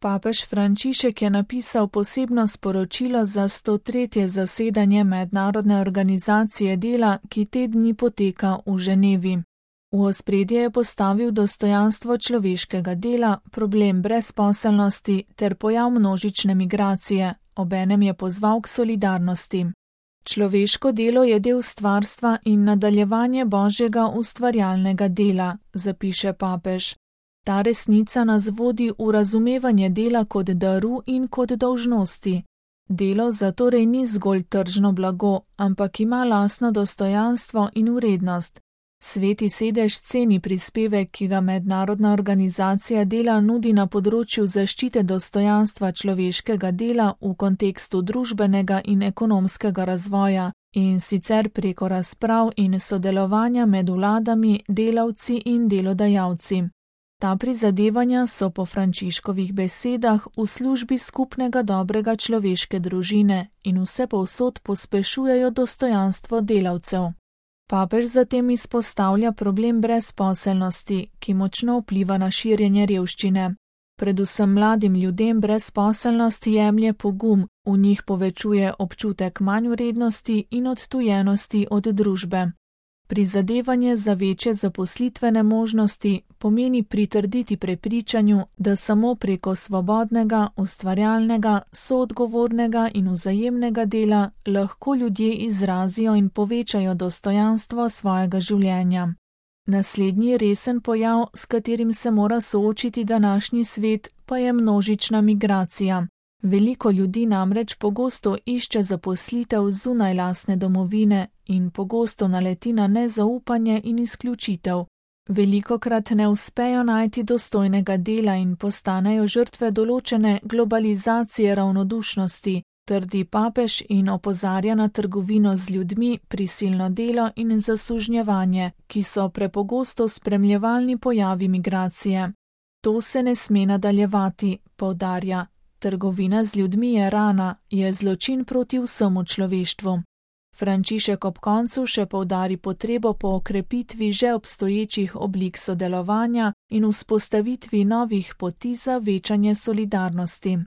Papež Frančišek je napisal posebno sporočilo za 103. zasedanje Mednarodne organizacije dela, ki te dni poteka v Ženevi. V ospredje je postavil dostojanstvo človeškega dela, problem brezposelnosti ter pojav množične migracije, obenem je pozval k solidarnosti. Človeško delo je del stvarstva in nadaljevanje Božjega ustvarjalnega dela, zapiše papež. Ta resnica nas vodi v razumevanje dela kot daru in kot dolžnosti. Delo zatorej ni zgolj tržno blago, ampak ima lastno dostojanstvo in vrednost. Sveti sedež ceni prispevek, ki ga Mednarodna organizacija dela nudi na področju zaščite dostojanstva človeškega dela v kontekstu družbenega in ekonomskega razvoja, in sicer preko razprav in sodelovanja med vladami, delavci in delodajalci. Ta prizadevanja so po Frančiškovih besedah v službi skupnega dobrega človeške družine in vsepovsod pospešujejo dostojanstvo delavcev. Papež zatem izpostavlja problem brezposelnosti, ki močno vpliva na širjenje revščine. Predvsem mladim ljudem brezposelnost jemlje pogum, v njih povečuje občutek manjvrednosti in odtujenosti od družbe. Prizadevanje za večje zaposlitvene možnosti pomeni pritrditi prepričanju, da samo preko svobodnega, ustvarjalnega, soodgovornega in vzajemnega dela lahko ljudje izrazijo in povečajo dostojanstvo svojega življenja. Naslednji resen pojav, s katerim se mora soočiti današnji svet, pa je množična migracija. Veliko ljudi namreč pogosto išče zaposlitev zunaj lastne domovine in pogosto naleti na nezaupanje in izključitev. Velikokrat ne uspejo najti dostojnega dela in postanejo žrtve določene globalizacije ravnodušnosti, trdi papež in opozarja na trgovino z ljudmi, prisilno delo in zasužnjevanje, ki so prepogosto spremljevalni pojavi migracije. To se ne sme nadaljevati, poudarja. Trgovina z ljudmi je rana, je zločin proti vsemu človeštvu. Frančišek ob koncu še poudari potrebo po okrepitvi že obstoječih oblik sodelovanja in vzpostavitvi novih poti za večanje solidarnosti.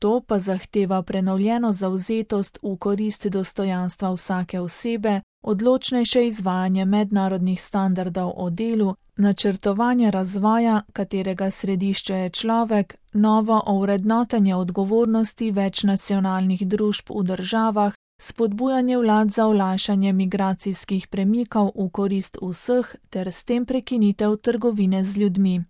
To pa zahteva prenovljeno zavzetost v korist dostojanstva vsake osebe, odločnejše izvajanje mednarodnih standardov o delu, načrtovanje razvoja, katerega središče je človek, novo ovrednotenje odgovornosti večnacionalnih družb v državah, spodbujanje vlad za olajšanje migracijskih premikov v korist vseh ter s tem prekinitev trgovine z ljudmi.